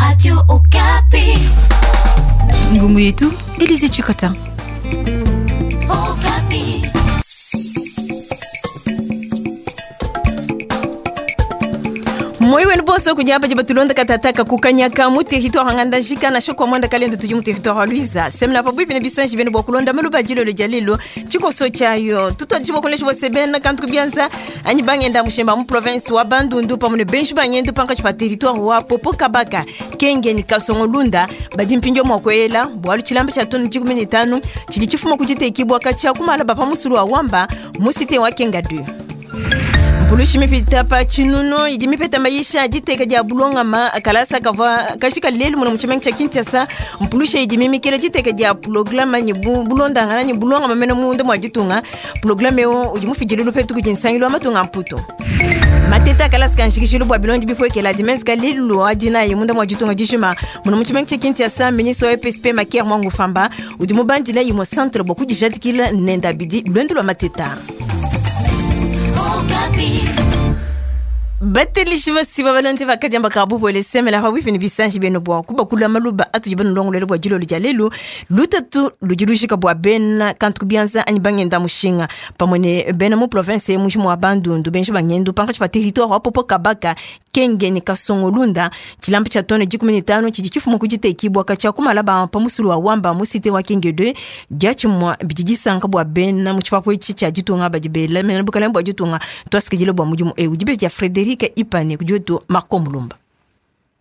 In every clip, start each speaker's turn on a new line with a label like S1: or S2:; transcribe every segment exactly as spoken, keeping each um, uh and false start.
S1: Radio Okapi.
S2: Ngumu yetu Elise Chikota.
S1: Okapi.
S3: Moi wenu bonso kunyaba jiba tulonda katataka kukanyaka mu territoire ngandajika na shokwa mwanda kalendo tuju mu territoire Luiza semla pabuipi ne bisanji benu bwa kulonda maluba jilolo jalilo chikoso chayo tutwa jibo kolesha bwa sebena kantu kubianza anyi bangenda mushemba mu province wa Bandundu pamwe ne benji banyendu panka chipa territoire wa Popo Kabaka Kenge ni Kasongo Lunda badi mpinjo mwa kwela bwalu chilamba cha tonu chikumi ni tano chili chifuma kuchitekibwa kacha kumala bapa musulu wa Wamba musite wa Kenga deux. Mpulushi mipita pa chinuno idi mipeta maisha jiteka dia bulongama kalasa kava kashika lelu muno muchimengi cha Kinshasa mpulushi idi mimikela jiteka dia programa ni bu, bulondangana ni bulongama meno mundo mwa jitunga programa yo udi mufijile lupetu kujinsangilo amatunga mputo mateta kalasa kanshikishilu bwa bilondi bipwekela dimensi lelu adina ye munda mwa jitunga jishima muno muchimengi cha Kinshasa ministre wa E P S P Makier Mwangu Famba udi mubandila yimo centre bwa kujijadikila nenda bidi lwendo lwa mateta. Batelishi basiba balonde bakadiamba kabu bole semela fa wipini bisanji beno bwa kuba kula maluba atu jibano longolelo bwa jilo ljalelu lutatu lujilushika bwa bena kantu kubianza anyi bangenda mushinga pamwe ne bena mu province mu wa Bandundu benji bangendu panka chipa territoire wa Popo Kabaka Kenge ni Kasongo Lunda chilambo cha tone jikumi ni tano chiji chifumo kujitekibwa kacha kumala ba pamusulu wa Wamba mu cité wa Kenge deux diachimwa bijijisanga bwa bena mu chipapo ichi cha jitunga bajibela mena bukala bwa jitunga twasikijile bwa mujumu e ujibe ja Frederic Ipane kujoto Marco Mulumba.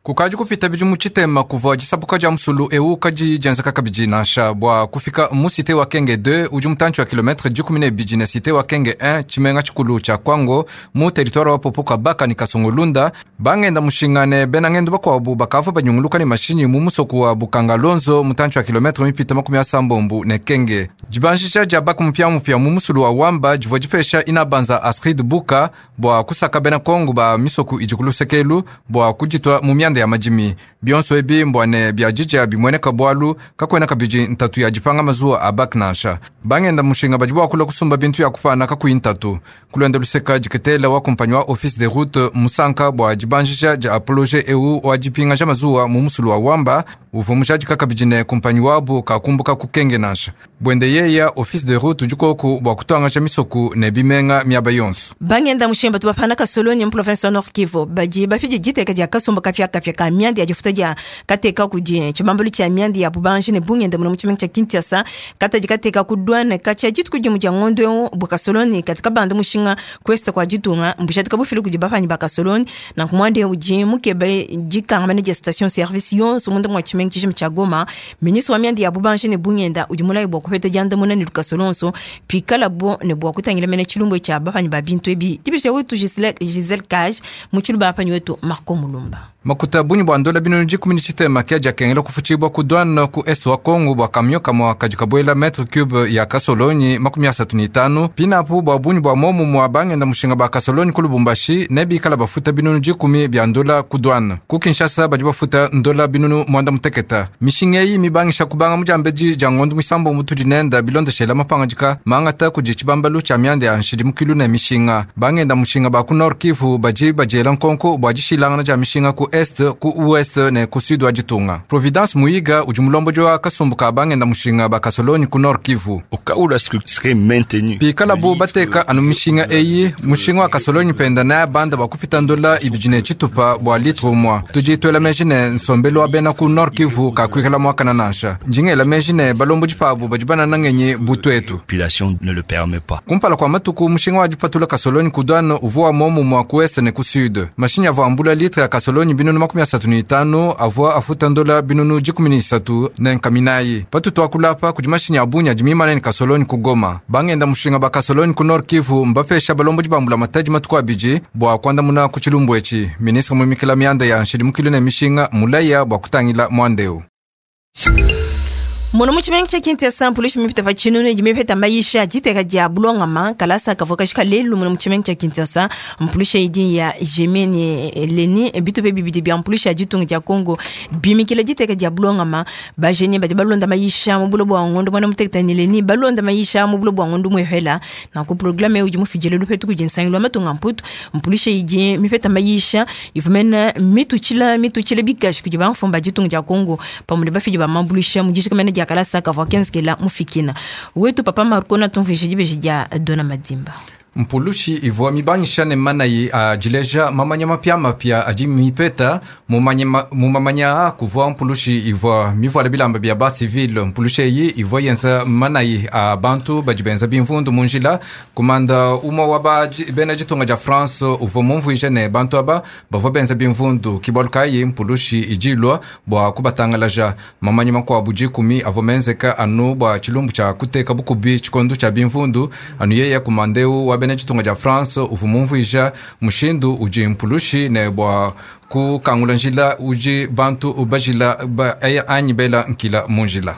S4: Kukaji kupita biju muchitema kuva jisabuka ja musulu eu kaji jenzeka kabiji nansha bwa kufika mu cité wa Kenge deux uji mutanchi wa kilometre jikumi ne biji ne cité wa Kenge un chimenga chikulu cha Kwango mu territoire wa Popo Kabaka ni Kasongo Lunda bangenda mushingane bena ngendo bakwabu bakava banyunguluka ni mashinyi mu musoku wa Bukanga Lonzo mutanchi wa kilometre mipita makumi asambombu ne Kenge jibanjisha ja baku mupya mupya mu musulu wa Wamba jivwa jipesha inabanza Astrid Buka bwa kusaka bena Kongo ba misoku ijikulu sekelu bwa kujitwa mu myanda ya majimi bionso ebi mbwane bya jija bimweneka bwalu kakwena kabiji ntatu ya jipanga mazuwa abak nansha bangenda mushinga bajibu kula kusumba bintu ya kufana kakuyi ntatu kulwenda luseka jiketela wa kumpanyi wa office de route musanka bwa jibanjisha ja apologe eu wa jipinga ja mazuwa mu musulu wa Wamba uvo mushaji kakabijine kumpanyi wabu kakumbuka kukenge nansha bwende yeya office de route jikoku bwa kutwanga ja misoku ne bimenga miaba yonso
S3: bangenda mushinga tubafana kasoloni mu province wa Nord Kivu baji bafije jiteka ja kasumba kapya kapya ka myandi ya jifuta ja kateka kudie chibambulu cha myandi ya bubanji ne bungenda muno muchimengi cha Kinshasa kata jikateka kudwana kacha jitu kujimu ja ngondo bukasoloni katika bandu mushinga kwesta kwa jitunga mbushatika bufilu kujibafanyi bakasoloni na kumwande uji mukebe jikanga manager station service yonso munda mwa chimengi chishim cha Goma ministre wa myandi ya bubanji ne bungenda ujimula bwa kupeta janda muna ni lukasolonso pikala bo ne bwa kutangila mene chilumbo cha bafanyi ba bintu ebi tibisha wetu Giselle Giselle Cage muchilu bafanyi wetu Marco Mulumba.
S4: Makuta bunyi bwa ndola binu jikumi ni chitema kia jakengela kufuchibwa kudwana ku est wa Kongo bwa kamyo kamwa kajikabwela metre cube ya kasolonyi makumi asatu ni tano pinapu bwa bunyi bwa momu mwa bangenda mushinga ba kasolonyi ku Lubumbashi nebikala bafuta binunu jikumi bya ndola kudwana ku Kinshasa baji bafuta ndola binunu mwanda muteketa mishinga eyi mibangisha kubanga mujambeji ja ngondo mwisambo mutu jinenda bilondeshela mapangajika mangata kuji chibambalu cha myanda ya nshilimukilu ne mishinga bangenda mushinga ba ku Nord Kivu baji bajela nkonko bwa jishilangana ja mishinga ku est ku ouest ne ku sud wa jitunga Providence Muyiga uji mulombo jwa kasumbuka bangenda mushinga bakasoloni ku Nord Kivu
S5: au cas où la structure serait maintenue
S4: pikala bu bateka anu mishinga eyi mushinga wa kasoloni penda na banda bakupita ndola ibijine chitupa bwa litre mwa tujitwela mejine nsombelo wa bena ku Nord Kivu kakwikala mwakana nansha njingela mejine balombo jipabu bajibana nangenye butwetu
S5: population ne le permet pas
S4: kumpala kwa matuku mushinga wa jipatula kasoloni kudwano uvuwa momu mwa ku est ne ku sud mashinya avua ambula litre ya kasoloni binunu makumi asatu ni itano avua afuta ndola binunu jikumi ni isatu ne nkaminayi patutu akulapa kudi mashinya abunya jimimana ni kasoloni ku Goma bangenda mushinga ba kasoloni ku Nord Kivu mbapesha balombo jibambula mataji matuku abiji bwa kwandamuna ku chilumbu echi ministre mumikila myanda ya nshidimukilu ne mishinga mulaya bwa kutangila mwandeu.
S3: Muno mu tshimenga tshia Kinshasa mpulushi mipita pa tshinunu idi mipeta mayisha diteka dia bulongama kalasa kavua kashika lelu muno mu tshimenga tshia Kinshasa mpulushi idi ya Jemene Leni bitupe bibidi bia mpulushi ya ditunga dia Congo bimikila diteka dia bulongama bajeni badi balonda mayisha mu bulo bua ngondo mwana muteketa ni Leni balonda mayisha mu bulo bua ngondo muhela na ku programme udi mufijele lupetu kudi nsangilu wa matunga mputu mpulushi idi mipeta mayisha ivumena mituchila mituchila bikashi kudi bamfumba ditunga dia Congo pamwe ne bafidi ba mambulusha mu dishikamene dia kalasa kavua kenzekela mufikina wetu papa Marco na tumvishe dibeji dia Dona Madimba.
S4: Mpulushi ivua mibangisha ne manayi ajileja mamanya mapya mapya adi mipeta mumamanya kuvua mpulushi ivua mivuala bilamba bia ba civil mpulushi eyi ivua yenza manayi a bantu badi benza bimvundu mu njila kumanda umue wa bena ditunga dia France uvua mumvuije ne bantu aba bavua benza bimvundu kibalu kayi mpulushi idilua bua kubatangalaja mamanya makuabu dikumi avua menzeka anu bua tshilumbu tshia kuteka bukubi tshikondo tshia bimvundu anu yeye kumandeu wa bena ditunga dia France uvua mumvuija mushindu udi mpulushi ne bua kukangula njila udi bantu bajila ba, anyi bela nkila mu njila.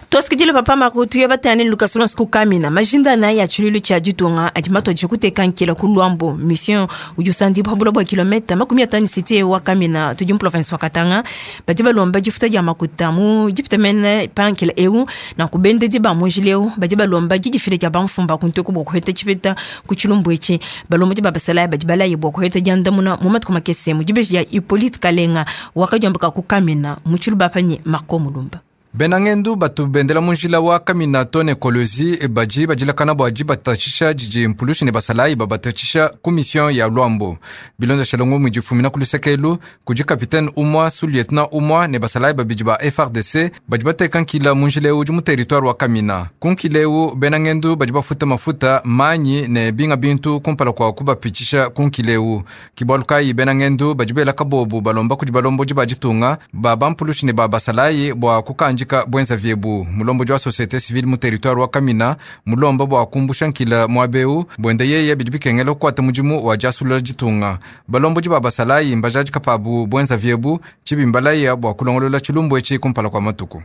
S3: Tosikidile papa Makutu ya batane Lucas Lons kukamina majinda na ya chululu cha ditunga adi mato kuteka nkila ku Luambo mission udi usandi bwa bwa kilomita makumi atano cité wa Kamina tudi mu province wa Katanga badi balomba difuta dia makuta mu dipita mene pankila eu na kubende di ba munjileu badi balomba didifile dia bamfumba kuntu ku bokuheta chipeta ku chilumbu echi balomba di babasala badi balaye bokuheta diandamuna mu matuku makese mu dibeji ya Hippolyte Kalenga wakajambaka ku Kamina mu chiluba panyi Marco Mulumba.
S4: Benangendu batu bendela munjila wa Kamina tone Kolwezi baji bajilakana bwa jibatashisha jiji mpulushi ne basalayi babatashisha ku mission ya Luambo bilonza shalongo mujifumina kulusekelu kuji capitaine umwa sous lieutenant umwa ne basalayi babiji ba F R D C baji bateka nkila munjila uji mu territoire wa Kamina kunkileu benangendu baji bafuta mafuta manyi ne binga bintu kumpala kwa kubapitisha kunkileu kibalukai benangendu baji bela kabobu balomba kuji balombo jibajitunga ba bampulushi ne ba basalayi bwa kukanja bwenza vyebu mulombo jwa société civile mu territoire wa Kamina mulombo bwa kumbusha nkila mwabeu bwende yeye bidi bikengela kukwata mudimu wa jasulula ditunga balombo jiba basalayi mbajaji kapabu bwenza vyebu chibimbalaya bwa kulongolola chilumbu echi kumpala kwa matuku.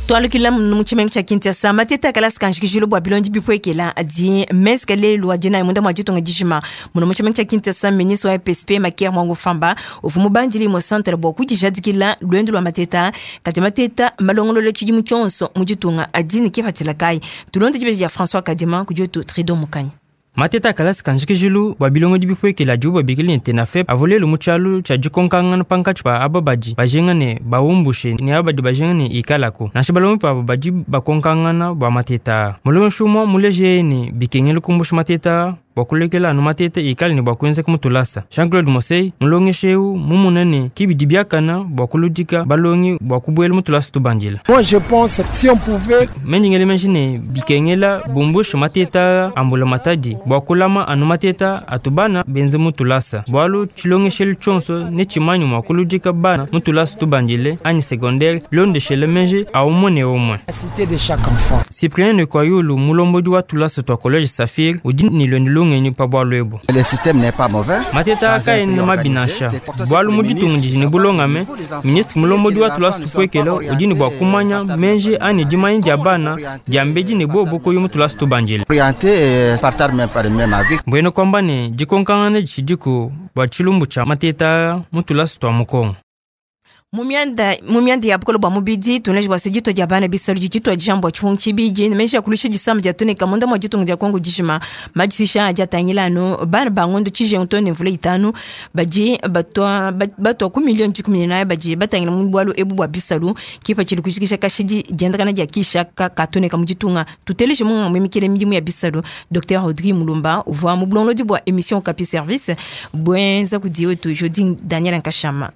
S3: Twalukila mu tshimenga tshia Kinshasa mateta kalasi kanjikijilo bua bilondi bipwekela adi meskale lwa dina munda mwa ditunga dijima muno mu tshimenga tshia Kinshasa ministre wa P S P Makier Mwango Famba uvu mubandili mo centre bua kudijadikila lwendo lwa mateta kati mateta malongololo tshidimu tshionso mu ditunga adi ne kipatshila kai tulonde dibeji dia François Kadima kudiotu Trido Mukanya.
S6: Mateta kalasi kanjikijilu bua bilongo bipwekela dibu babikili ne tenafep avolelu mu tshialu tshia dikonkangana pankatshi pa aba badi bajinga ne bawumbushe ne aba badi bajinga ne ikalako nansha balongo pabo badi bakonkangana bua mateta mulongeshi umue muleje ne bikengela kumbusha mateta bua kulekela anu mateta ikale ne bua kuenzeka mutulasa Jean-Claude Mosey mulongeshi eu mumuna ne kibidi biakana bua kuludika balongi bua kubuela mutulasa tubandila.
S7: Moi je pense si on pouvait
S6: mendingele menji ne bikengela bumbushe mateta ambula matadi bua kulama anu mateta atubana benze mutulasa bualu tshilongeshelu tshionso ne tshimanyi mua kuludika bana mutulasa tubandile anyi secondaire londeshele menji aumwe ne umwe.
S7: Cité de chaque enfant.
S6: Cyprien Nekwayulu mulombodi wa tulasa twa collège Saphir udi ni lwendo
S8: Le système n'est pas mauvais.
S6: Mateta akaene mabinasha bualu mu ditunga didi ne bulongame ministre mulombodi wa tulasa tupwekela udi ne bua kumanya menji ani dimanya dia bana dia mbedi ne bobo koyo mu tulasa tubandile mbwene kwamba ne dikonkangana ditshidiku bua tshilumbu tshia mateta mu tulasa tua mukongo.
S3: Mumianda mumianda ya bukolo bwa mubidi tuneji bwa sejito dia bana bisalu jito jambo chungu chibiji nemesha kulisha disamba dia tuneka munda mwa jitunga dia Kongo dijima majisha aja tangilano bana bangondo chije ntone mvula itanu baji batwa batwa ku milioni kumi na baji batangila mu bwalu ebu bwa bisalu kipa chili kushikisha kashidi jendakana dia kisha ka katuneka mujitunga tuteleshe munga mwimikele midimu ya bisalu Docteur Rodri Mulumba uvwa mu bulongolodi bwa émission Okapi Service bwenza kudiwe tu Jodi Daniel Nkashama.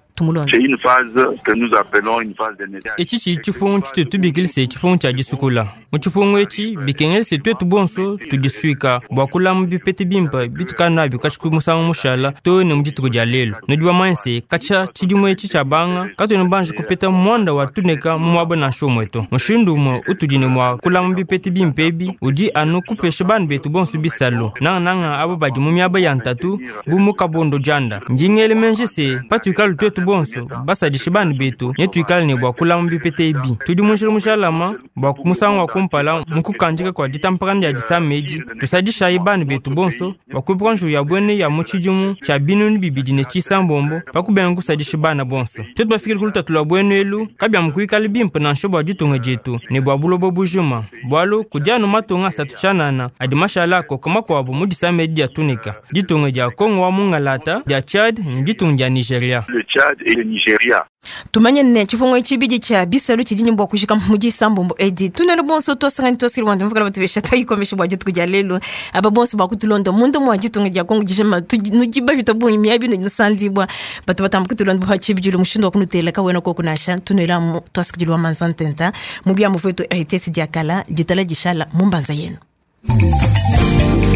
S9: C'est une phase que nous appelons une phase de nettoyage.
S6: Echi chi chifungu chitu tubikili se chifungu cha disukula. Mu chifungu echi bikengele se twetu bonso tudisuika bua kulama bipete bimpa bitukana nabio kashiku musangu mushala to ne mu dituku dia lelu. Nudi bamanye se katshia tshidimu etshi tshia banga katuena banji kupeta muanda wa tuneka mu muaba nansha umue to. Mushindu umue utudi ne mua kulama bipete bimpa ebi udi anu kupesha bana betu bonso bisalu nangananga abo badi mu miaba ya ntatu bu mu kabondo dianda. Ndingele menji se patuikala tuetu bonso basadishe bana betu ne tuikale ne bua kulama bipeta ebi. Tudi mu njila mujalama bua musangu wa kumpala mu kukandika kua ditampakana dia disama edi, tusadishayi bana betu bonso bua kuepuka njiwu ya buene ya mu tshidimu tshia binunu bibidi ne tshisambombo pa kubenga kusadisha bana bonso. Tuetu bafikile ku lutatu lua buenu elu kabiamu kuikala bimpe nansha bua ditunga dietu ne bua buloba bujima, bualu kudi anu matunga asatu tshianana adi mashala akoka makuabu mu disama edi dia tunika: ditunga dia Kongo wa Mungalata, dia Tchad ne ditunga dia Nigeria.
S9: Le Tchad et le Nigeria.
S3: Tumanye ne tshifungo tshibidi tshia bisalu tshidi ne bua kujika mu disambombo edi. Tunelo bonso twasangani twasili wandu mvukala batubesha twayikomesha bua dituku dia lelo. Aba bonso bakutulonda munda mwa ditunga dia Kongo dijima nudiba vita bungi miabi nusandibwa batu batamba kutulonda bua tshibidi mushindu wa kunutela kawena koko nasha tunela mu twasikidilwa manzantenta mu bya muvetu R T S diakala ditala dishala mumbanza yenu.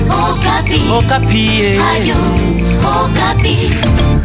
S1: Okapi.
S10: Okapi.
S1: Radio Okapi.